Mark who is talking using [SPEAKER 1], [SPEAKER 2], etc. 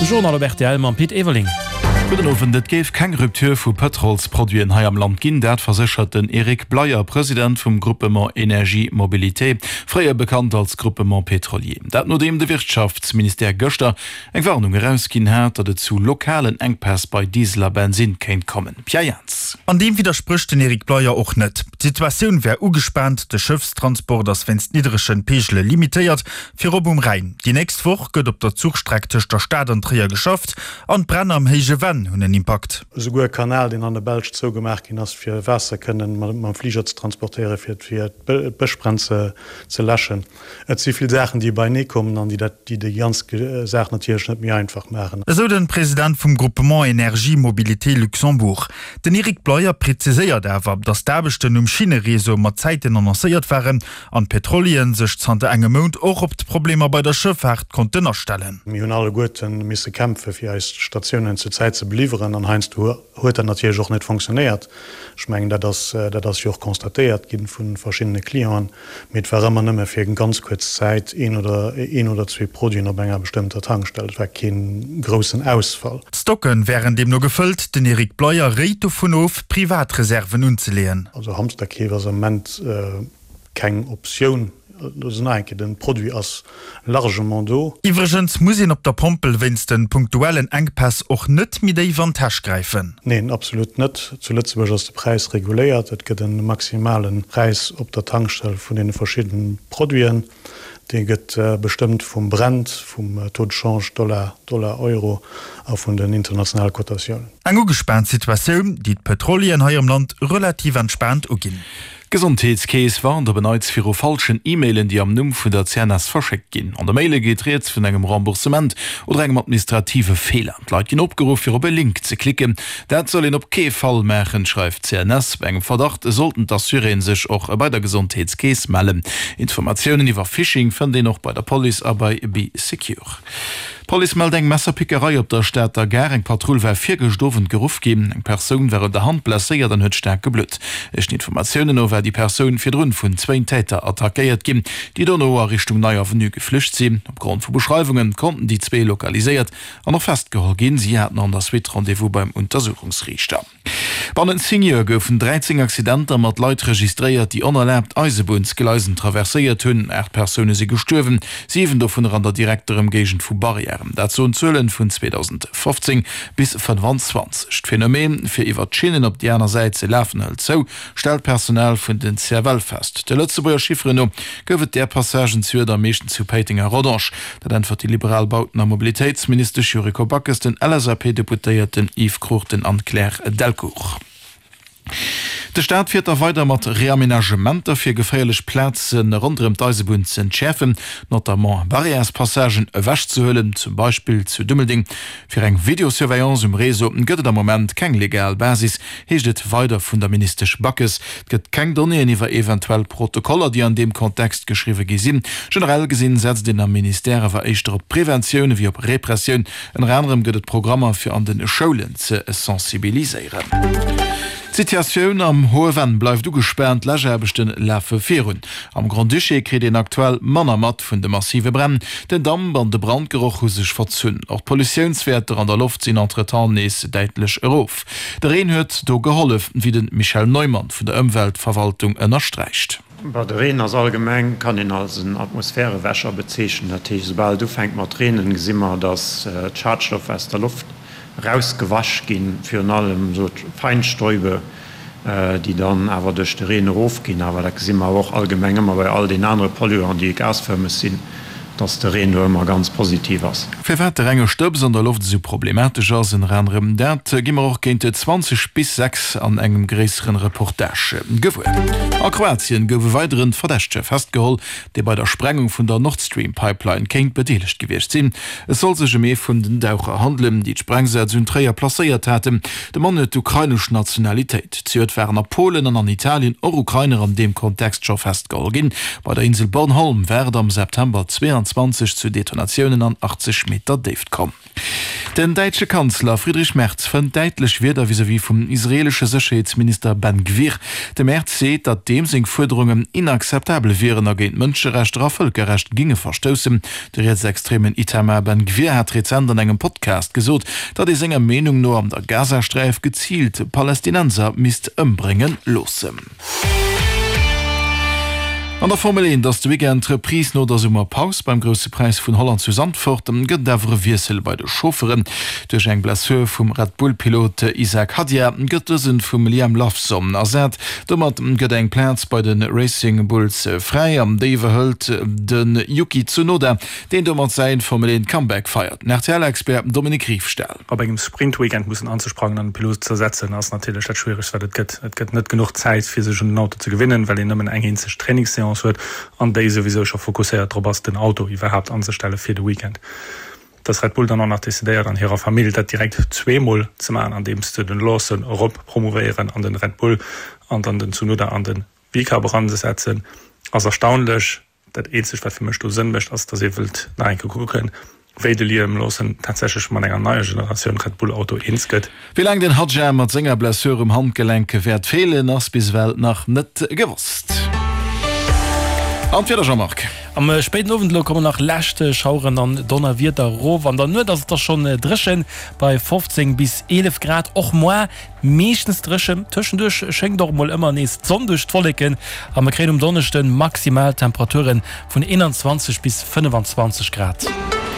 [SPEAKER 1] De Journal op rtl mam Pit Everling.
[SPEAKER 2] Gudden Owend. Et géif keng Rupture vu Pëtrolsproduiten hei am Land ginn, dat verséchert den Eric Bleyer, President vum Groupement Energie Mobilité, fréier bekannt als Groupement Pétrolier. Dat nodeem de Wirtschaftsministère gëschter eng Warnung erausginn hat, datt et zu lokalen Enkpäss bei Diesel a Bensinn kéint kommen. Pierre Jans.
[SPEAKER 3] An deem widdersprécht den Eric Bleyer och net. D'Situatioun wär ugespaant, de Schëffstransport ass wéinst niddregen Peegele limitéiert, virop um Rhäin. Déi nächst Woch gëtt op der Zuchstreck tëscht der Stad an Tréier geschafft an d'Bränn am Héije Venn hunn en Impakt.
[SPEAKER 4] Esouguer e Kanal, deen an der Belsch zougemaach ginn ass, fir Waasser kënnen mam Fliger ze transportéieren, fir d'Bëschbränn ze läschen. Et si vill Saachen, déi beienee kommen an déi dat, déi déi ganz Saach natierlech net méi einfach maachen.
[SPEAKER 3] Esou den President vum Groupement Energie Mobilité Luxembourg. Den Eric Bleyer präziséiert awer, datt d'Aarbechten um Schinnereseau mat Zäiten annoncéiert waren an d'Petrolieren sech zanter engem Mount och op d'Problemer bei der Schëffaart konnten astellen.
[SPEAKER 4] Mir hunn alleguerte misse kämpfe fir eis Statiounen zur Zäit ze beliwweren an heiansdo huet dat natierlech och net fonctionnéiert. Ech mengen, dat ass, dat ass jo och constatéiert gi vu verschiddene Clienten. Mee et war ëmmer nëmme fir eng ganz kuerz Zäit een oder een oder zwee Produiten op enger bestëmmter Tankstell. Et war kee groussen Ausfall.
[SPEAKER 3] D'Stocke wären deemno gefëllt. Den Eric Bleyer réit dovun of, privat Reserven unzeleeën.
[SPEAKER 4] Also Hamsterkeef ass am Moment keng Optioun. Also nach eng Kéier, den Produit ass largement do.
[SPEAKER 3] Iwwregens muss een op der Pompel wéinst den punktuellen Enkpäss och net méi déif an d'Täsch gräifen.
[SPEAKER 4] Neen, absolut net. Zu Lëtzebuerg ass de Präis reguléiert. Et gëtt e maximale Präis op der Tankstell vun deene verschiddenen Produiten. Dee gëtt bestëmmt vum Brent, vum Taux de change Dollar, Dollar-Euro a vun den internationale Kotatiounen.
[SPEAKER 3] Eng ugespaant Situatioun, déi d'Petrolieren hei am Land relativ entspaant uginn.
[SPEAKER 2] D'Gesondheetskeess warnt op en Neits viru falschen E-Mailen, déi am Numm vun der CNS verschéckt ginn. An de Maile geet rieds vun engem Remboursement oder engem administrative Feeler. D'Leit ginn opgeruff, fir op e Link ze klicken. Dat soll een op kee Fall maachen, schreift d'CNS. Bei engem Verdacht sollten d'Assuréen sech och bei der Gesondheetskeess mellen. Informatiounen iwwer Phishing fënnt een och bei der Police a bei Bee Secure. D'Police mellt eng Messerpickerei op der Stater Gare. Eng Patrull war virgëscht Owend geruff ginn. Eng Persoun war un der Hand blesséiert an huet staark geblutt. Éischten Informatiounen no war déi Persoun virdrun vun zwéin Täter attackéiert ginn, déi dono a Richtung Nei Avenue geflücht sinn. Opgrond vu Beschreiwunge konnten déi zwee lokaliséiert an och festgeholl ginn. Si haten an der Suite Rendez-vous beim Untersuchungsriichter. Bannent 10 Joer goufen 13 Accidenter mat Leit registréiert, déi onerlaabt Eisebunnsgleisen traverséiert hunn. 8 Persoune si gestuerwen, 7 dovunner an der direkter Ëmgéigend vu Barrièren. Dat soen d'Zuelen vun 2015 bis 25. D'Phänomen, fir iwwer d'Schinnen op déi aner Säit ze lafen, hëlt zou, stellt d'Personal vun den CFL fest. De Lëtzebuerger Chifferen no gouf et där Passagen zejoert am meeschten zu Péiteng a Rodange. Dat äntwert déi liberal Bauten a Mobilitéitsministesch Yuriko Backes den LSAP-Deputéierten Yves Cruchten an Claire Delcourt. De Staat fiert da weider mat Reamenagementer fir geféierlech Plaze ronderëm d'Eisebunn z'entschäerfen, notamment Barrièrespassagen ewechzehuelen, zum Beispill zu Dummeldeng. Fir eng Videosurveillance um Réseau gëtt et am Moment keng legal Basis, heescht et weider vun der Ministesch Backes. Et gëtt keng Donnéeën iwwer eventuell Protokoller, déi an deem Kontext geschriwwe gi sinn. Generell gesinn setzt een am Ministère awer éischter op Preventioun ewéi op Repressioun. Ënner anerem gëtt et Programmer fir an de Schoulen ze sensibiliséieren. D'Situatioun am Hohe Venn bleift ugespaant, d'Läschaarbechte lafe virun. Am Grand-Duché kritt een aktuell manner mat vun de massive Bränn. Den Damp an de Brandgeroch hu sech verzunn. Och d'Pollutiounswäerter an der Loft sinn entretemps nees däitlech erof. De Reen huet do gehollef, wéi de Michel Neumann vun der Ëmweltverwaltung ënnersträicht.
[SPEAKER 5] Bon, de Reen ass allgemeng, kann een als en Atmosphärewäscher bezeechnen. Dat heescht, esoubal et ufänkt mat reenen, gesi mer, datt d'Schadstoffer aus der Loft erausgewasch ginn, virun allem esou d'Feinstäube, déi dann awer duerch de Reen erofginn. Awer dat gesi mer och allgemeng ëmmer bei all den anere Polluanten, déi gasfërmeg sinn, dass de Reen do ëmmer ganz positiv ass.
[SPEAKER 2] Firwat de renge Stëbs an der Loft esou problematesch ass, ënner anerem dat gi mer och géint 20 bis 6 an engem gréisseren Reportage gewuer. A Kroatien gouf e weideren Verdächtege festgeholl, dee bei der Sprengung vun der Nord Stream Pipeline kéint bedeelegt gewiescht sinn. Et soll sech ëm ee vun den Daucher handelen, déi d'Sprengsätz un Tréier placéiert haten. De Mann huet d'ukrainesch Nationalitéit. Zejoert waren a Polen an an Italien och Ukrainer an deem Kontext scho festgeholl ginn. Bei der Insel Bornholm war et am September 22. 2021 zu Detonatiounen an 80 Meter Déift komm. Den däitsche Kanzler Friedrich Merz fënnt däitlech Wierder vis-à-vis vum israeelesche Sécherheetsminister Ben Gvir. De Merz seet, datt deem seng Fuerderungen inakzeptabel wieren a géint Mënscherechter a Vëlkerrecht ginge verstoussen. De rietsextremen Itamar Ben Gvir hat rezent an engem Podcast gesot, datt ee senger Meenung no an der Gazasträif geziilt Palästinenser misst ëmbrénge loossen. An der Formel 1 ass de Weekend d'Reprise no der Summerpaus. Beim Grousse Präis vun Holland zu Zandvoort gëtt et awer e Wiessel bei de Chaufferen. Duerch eng Blessur vum Red Bull-Pilot Isack Hadjar gëtt dësen vum Liam Lawson ersat. Domat gëtt eng Plaz bei de Racing Bulls fräi an déi iwwerhëlt de Yuki Tsunoda, deen domat säi Formel 1 Comeback feiert. Den RTL-Expert Dominique Riefstahl.
[SPEAKER 6] Op engem Sprint-Weekend mussen anzesprangen an de Pilot ze ersetzen, ass natierlech dat Schwieregst, wat et gëtt. Et gëtt net genuch Zäit, fir sech un den Auto ze gewinnen, well een nëmmen eng eenzeg Trainingsseance huet an déi souwisou scho fokusséiert drop ass, den Auto iwwerhaapt anzestelle fir de Weekend. Dass Red Bull dann och nach decidéiert, an hirer Famill dat direkt zweemol ze maachen, andeems se den Lawson erop promouvéieren an den Red Bull an dann den Tsunoda an den VCARB eransetzen, ass erstaunlech. Dat eenzegt, wat fir mech do Sënn mécht, ass, datt ee wëllt nach eng Kéier kucken, wéi de Liam Lawson tatsächlech mat enger neier Generatioun Red Bull Auto eens gëtt.
[SPEAKER 2] Wéi laang den Hadjar mat senger Blessure um Handgelenk wäert feelen, ass bis ewell nach net gewosst. An d'Wieder, Jean-Marc?
[SPEAKER 1] Am spéiden Owend elo kommen nach lescht Schaueren an Donnerwieder erof. An der Nuet ass et da schonn dréchen bei 15 bis 11 Grad. Och moar Meeschtens dréchen, tëschenduerch schéngt och mol ëmmer nees d'Sonn duerch d'Wolleken a mer kréien um Donneschden maximal Temperaturen vun 21 bis 25 Grad.